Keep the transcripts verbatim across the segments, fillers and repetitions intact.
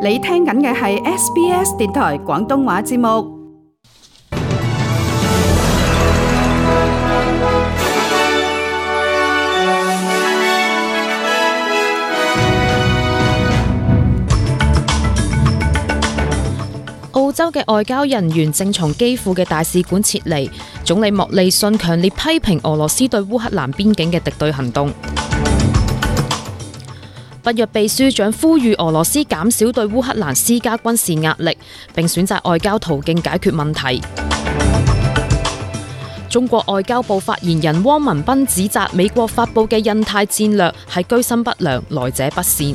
你聽緊嘅係 S B S 電台廣東話節目。澳洲嘅外交人員正從基輔嘅大使館撤離，總理莫利遜強烈批評俄羅斯對烏克蘭邊境嘅敵對行動。北約秘書長呼籲俄羅斯減少對烏克蘭施加軍事壓力，並選擇外交途徑解決問題。中國外交部發言人汪文斌指責美國發佈嘅印太戰略係居心不良，來者不善。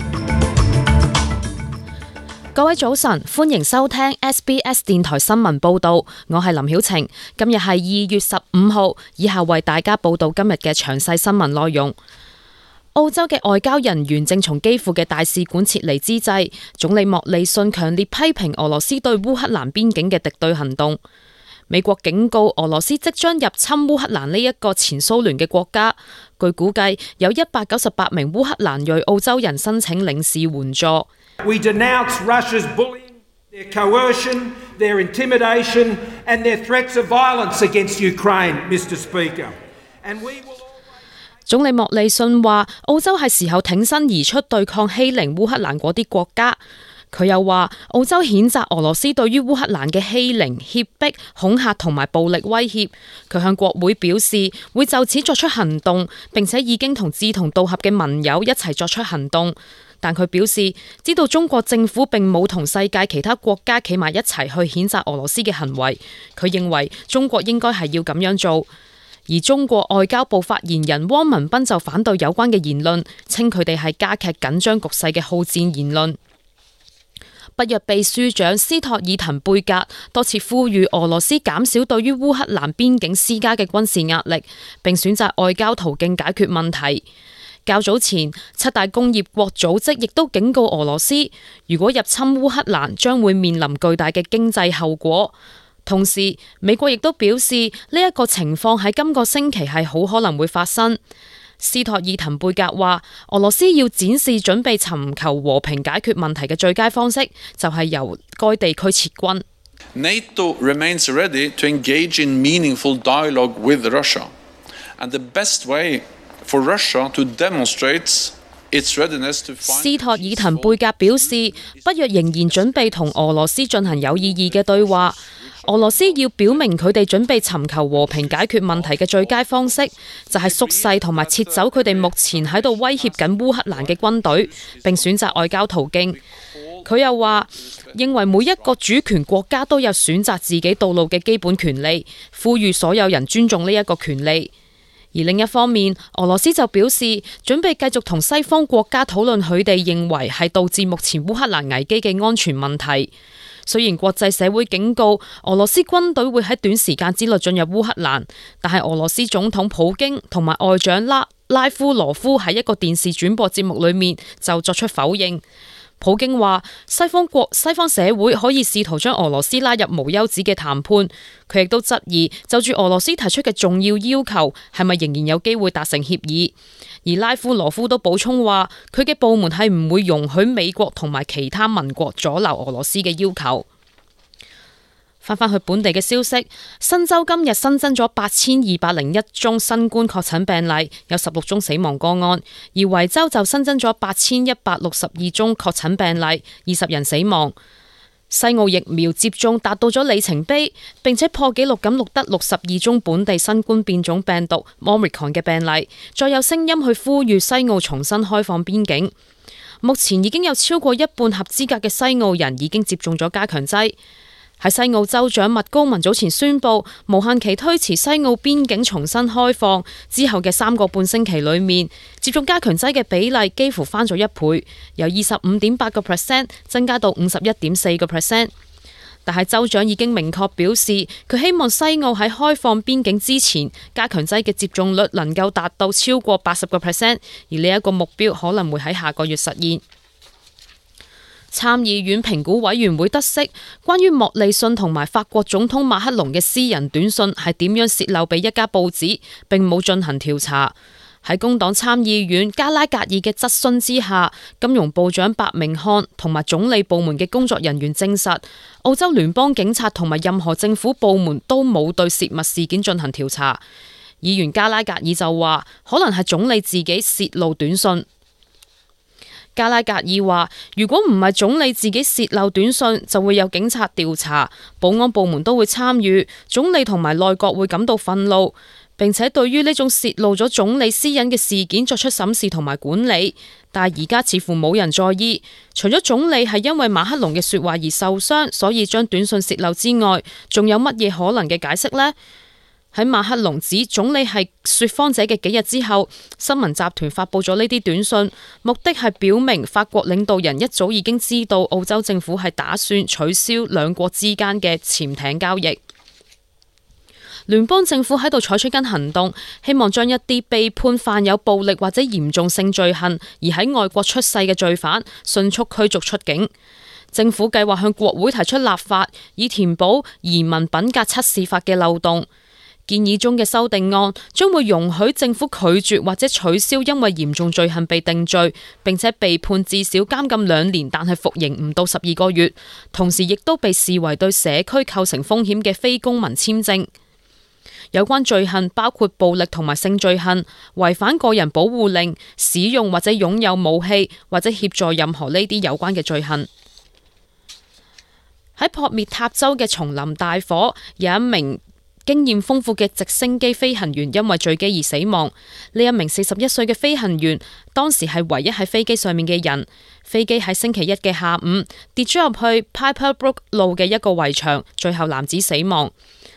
各位早晨，歡迎收聽 S B S 電台新聞報道，我係林曉晴。今日係二月十五號，以下為大家報道今日嘅詳細新聞內容。澳洲嘅外交人員正從基輔嘅大使館撤離之際，總理莫利遜強烈批評俄羅斯對烏克蘭邊境嘅敵對行動。美國警告俄羅斯即將入侵烏克蘭呢一個前蘇聯嘅國家。據估計，有一百九十八名烏克蘭裔澳洲人申請領事援助。We denounce Russia's bullying, their coercion, their intimidation, and their threats of violence against Ukraine, Mister Speaker. And we will... 總理莫利遜話：澳洲係時候挺身而出對抗欺凌烏克蘭嗰啲國家。佢又話：澳洲譴責俄羅斯對於烏克蘭嘅欺凌、脅迫、恐嚇同埋暴力威脅。佢向國會表示會就此作出行動，並且已經同志同道合嘅盟友一齊作出行動。但佢表示知道中國政府並冇同世界其他國家企埋一齊去譴責俄羅斯嘅行為。佢認為中國應該係要咁樣做。而中國外交部發言人汪文斌就反對有關嘅言論，稱佢哋係加劇緊張局勢嘅好戰言論。北約秘書長斯托爾滕貝格多次呼籲俄羅斯減少對於烏克蘭邊境施加嘅軍事壓力，並選擇外交途徑解決問題。較早前，七大工業國組織亦都警告俄羅斯，如果入侵烏克蘭，將會面臨巨大嘅經濟後果。同時，美國亦都表示呢一個情況喺今個星期係好可能會發生。斯托爾滕貝格話，俄羅斯要展示準備尋求和平解決問題嘅最佳方式，就係由該地區撤軍。NATO remains ready to engage in meaningful dialogue with Russia, and the best way for Russia to demonstrate its readiness to find... 斯托爾滕貝格表示，北約仍然準備同俄羅斯進行有意義嘅對話。俄羅斯要表明佢哋準備尋求和平解決問題嘅最佳方式，就係縮細同埋撤走佢哋目前喺度威脅緊烏克蘭嘅軍隊，並選擇外交途徑。佢又話，認為每一個主權國家都有選擇自己道路嘅基本權利，呼籲所有人尊重呢一個權利。而另一方面，俄羅斯就表示準備繼續同西方國家討論佢哋認為係導致目前烏克蘭危機嘅安全問題。雖然國際社會警告俄羅斯軍隊會喺短時間之內進入烏克蘭，但係俄羅斯總統普京同埋外長拉拉夫羅夫喺一個電視轉播節目裏面就作出否認。普京話西方國西方社會可以試圖將俄羅斯拉入無休止嘅談判，佢亦都質疑就住俄羅斯提出嘅重要要求係咪仍然有機會達成協議。而拉夫羅夫都補充話，佢嘅部門係唔會容許美國同埋其他盟國阻撓俄羅斯嘅要求。翻返去本地嘅消息，新州今日新增咗八千二百零一宗新冠確診病例，有十六宗死亡個案；而維州就新增咗八千一百六十二宗確診病例，二十人死亡。西澳疫苗接種達到咗里程碑，並且破紀錄咁錄得六十二宗本地新冠變種病毒 Omicron 嘅病例，再有聲音去呼籲西澳重新開放邊境。目前已經有超過一半合資格嘅西澳人已經接種咗加強劑。喺西澳州長麥高文早前宣布無限期推遲西澳邊境重新開放之後嘅三個半星期裏面，接種加強劑嘅比例幾乎翻咗一倍，由二十五點八個 percent 增加到五十一點四個 percent。但係州長已經明確表示，佢希望西澳喺開放邊境之前，加強劑嘅接種率能夠達到超過八十個 percent， 而呢一個目標可能會喺下個月實現。參議院評估委員會得悉，關於莫利遜同埋法國總統馬克龍嘅私人短信係點樣洩漏俾一家報紙，並冇進行調查。喺工黨參議院加拉格爾嘅質詢之下，金融部長白明漢同埋總理部門嘅工作人員證實，澳洲聯邦警察同埋任何政府部門都冇對洩密事件進行調查。議員加拉格爾就話，可能係總理自己洩露短信。加拉格爾話，如果唔係總理自己洩漏短信，就會有警察調查，保安部門都會參與，總理同埋內閣會感到憤怒，並且對於呢種洩露咗總理私隱嘅事件作出審視同埋管理。但係而家似乎冇人在意，除咗總理係因為馬克龍嘅說話而受傷，所以將短信洩漏之外，仲有乜嘢可能嘅解釋呢？喺馬克龍指總理係說謊者嘅幾日之後，新聞集團發佈咗呢啲短信，目的係表明法國領導人一早已經知道澳洲政府係打算取消兩國之間嘅潛艇交易。聯邦政府喺度採取緊行動，希望將一啲被判犯有暴力或者嚴重性罪行而喺外國出世嘅罪犯迅速驅逐出境。政府計劃向國會提出立法，以填補移民品格測試法嘅漏洞。建議中嘅修訂案將會容許政府拒絕或者取消因為嚴重罪行被定罪並且被判至少監禁兩年，但係服刑唔到十二個月，同時亦都被視為對社區構成風險嘅非公民簽證。有關罪行包括暴力同埋性罪行、違反個人保護令、使用或者擁有武器或者協助任何呢啲有關嘅罪行。喺撲滅塔州嘅叢林大火，有一名經驗豐富嘅直升機飛行員因為墜機而死亡。呢一名四十一歲嘅飛行員當時係唯一喺飛機上面嘅人。飛機喺星期一嘅下午跌咗入去 Piper Brook 路嘅一個圍牆，最後男子死亡。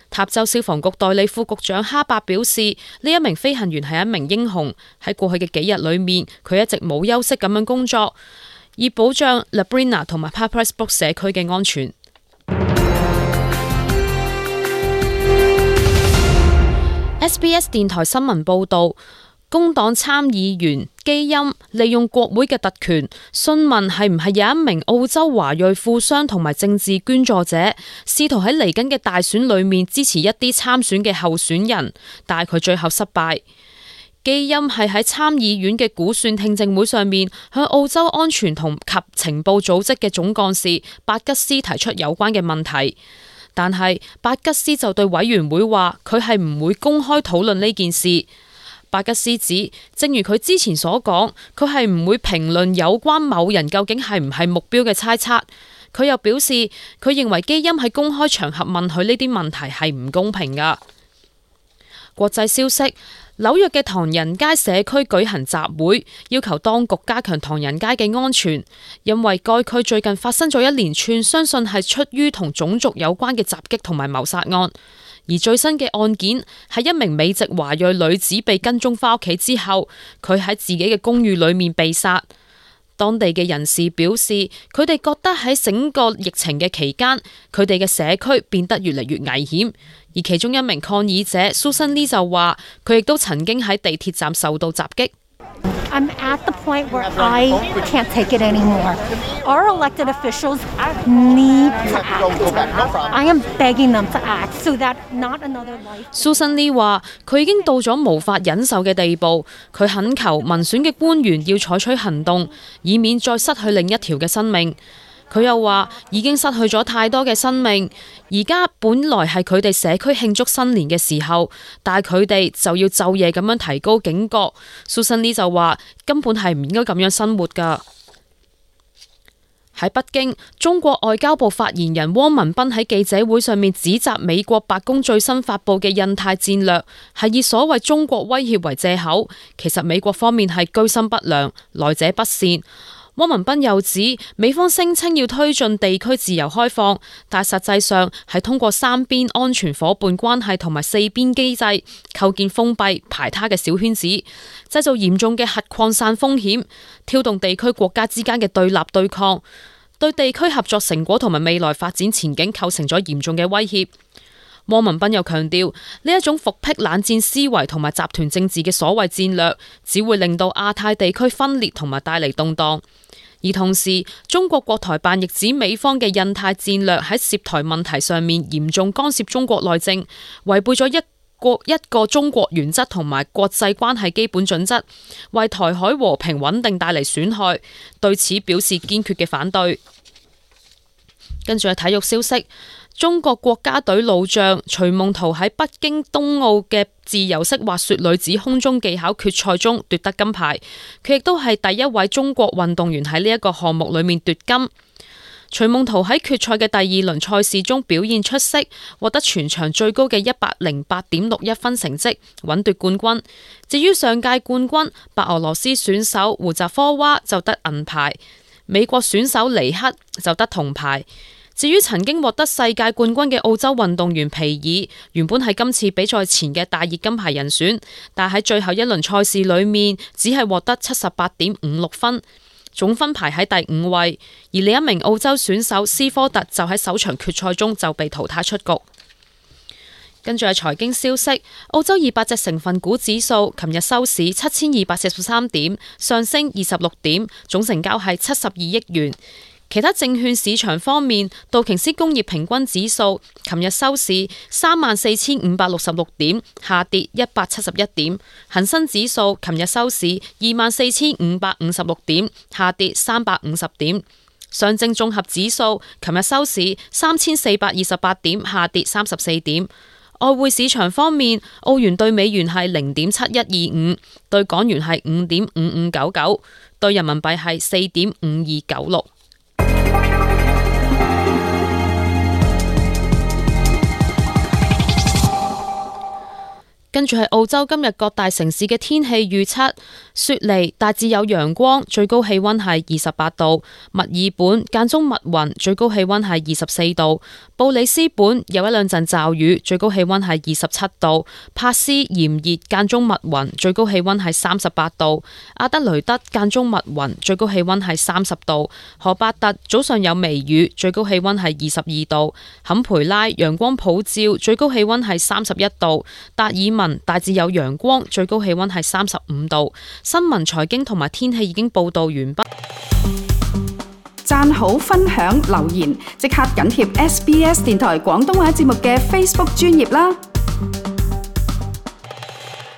塔州消防局代理副局長哈伯表示，呢一名飛行員係一名英雄。喺過去嘅幾日裏面，佢一直冇休息咁樣工作，以保障 Labrina 同埋 Piper Brook 社區嘅安全。S B S 電台新聞報道，工黨參議員基欽利用國會嘅特權，詢問係唔係有一名澳洲華裔富商同埋政治捐助者，試圖喺嚟緊嘅大選裏面支持一啲參選嘅候選人，但係佢最後失敗。基欽係喺參議院嘅估算聽證會上面，向澳洲安全同及情報組織嘅總幹事伯吉斯提出有關嘅問題。但係伯吉斯就對委員會話，佢係唔會公開討論呢件事。伯吉斯指，正如佢之前所講，佢係唔會評論有關某人究竟係唔係目標嘅猜測。佢又表示，佢認為基欽喺公開場合問佢呢啲問題係唔公平㗎。國際消息。紐約嘅唐人街社區舉行集會，要求當局加強唐人街嘅安全，因為該區最近發生咗一連串相信係出於同種族有關嘅襲擊同埋謀殺案，而最新嘅案件係一名美籍華裔女子被跟蹤返屋企之後，佢喺自己嘅公寓裏面被殺。當地嘅人士表示，佢哋覺得喺整個疫情嘅期間，佢哋嘅社區變得越嚟越危險。而其中一名抗議者 Susan Lee 就話，佢亦都曾經喺地鐵站受到襲擊。I'm at the point where I can't take it anymore. Our elected officials need to act. I am begging them to act so that not another life. Susan Lee 話，佢已經到咗無法忍受嘅地步，佢懇求民選嘅官員要採取行動，以免再失去另一條嘅生命。佢又話已經失去咗太多嘅生命，而家本來係佢哋社區慶祝新年嘅時候，但係佢哋就要晝夜咁樣提高警覺。Susan Lee 就話根本係唔應該咁樣生活㗎。喺北京，中國外交部發言人汪文斌喺記者會上面指責美國白宮最新發布嘅印太戰略係以所謂中國威脅為借口，其實美國方面係居心不良，來者不善。汪文斌又指，美方聲稱要推進地區自由開放，但實際上係通過三邊安全夥伴關係同埋四邊機制，構建封閉排他嘅小圈子，製造嚴重嘅核擴散風險，挑動地區國家之間嘅對立對抗，對地區合作成果同埋未來發展前景構成咗嚴重嘅威脅。汪文斌又強調，呢一種復辟冷戰思維同埋集團政治嘅所謂戰略，只會令到亞太地區分裂同埋帶嚟動盪。而同時，中國國台辦亦指美方嘅印太戰略喺涉台問題上面嚴重干涉中國內政，違背咗一國一個中國原則同埋國際關係基本準則，為台海和平穩定帶嚟損害，對此表示堅決嘅反對。跟住係體育消息，中國國家隊老將徐夢桃喺北京冬奧嘅自由式滑雪女子空中技巧決賽中奪得金牌，佢亦都係第一位中國運動員喺呢一個項目裏面奪金。徐夢桃喺決賽嘅第二輪賽事中表現出色，獲得全場最高嘅一百零八點六一分成績，穩奪冠軍。至於上屆冠軍白俄羅斯選手胡扎科娃就得銀牌，美國選手尼克就得銅牌。至於曾經獲得世界冠軍嘅澳洲運動員皮爾，原本係今次比賽前嘅大熱金牌人選，但喺最後一輪賽事裏面只係獲得七十八點五六分，總分排喺第五位。而另一名澳洲選手斯科特就喺首場決賽中就被淘汰出局。跟住係財經消息，澳洲二百隻成分股指數琴日收市七千二百四十三點，上升二十六點，總成交係七十二億元。其他證券市場方面，道瓊斯工業平均指數琴日收市三萬四千五百六十六點，下跌一百七十一點；恒生指數琴日收市二萬四千五百五十六點，下跌三百五十點；上證綜合指數琴日收市三千四百二十八點，下跌三十四點。外匯市場方面，澳元對美元係零點七一二五，對港元係五點五五九九，對人民幣係四點五二九六。跟住係澳洲今日各大城市嘅天氣預測：雪梨大致有陽光，最高氣溫係二十八度；墨爾本間中密雲，最高氣溫係二十四度；布里斯本有一兩陣驟雨，最高氣溫係二十七度；帕斯炎熱間中密雲，最高氣溫係三十八度；阿德雷德間中密雲，最高氣溫係三十度；荷伯特早上有微雨，最高氣溫係二十二度；坎培拉陽光普照，最高氣溫係三十一度；達爾文大致有陽光，最高氣溫係三十五度。新聞、財經同埋天氣已經報道完畢。讚好、分享、留言，即刻緊貼 S B S 電台廣東話節目嘅 Facebook 專頁啦！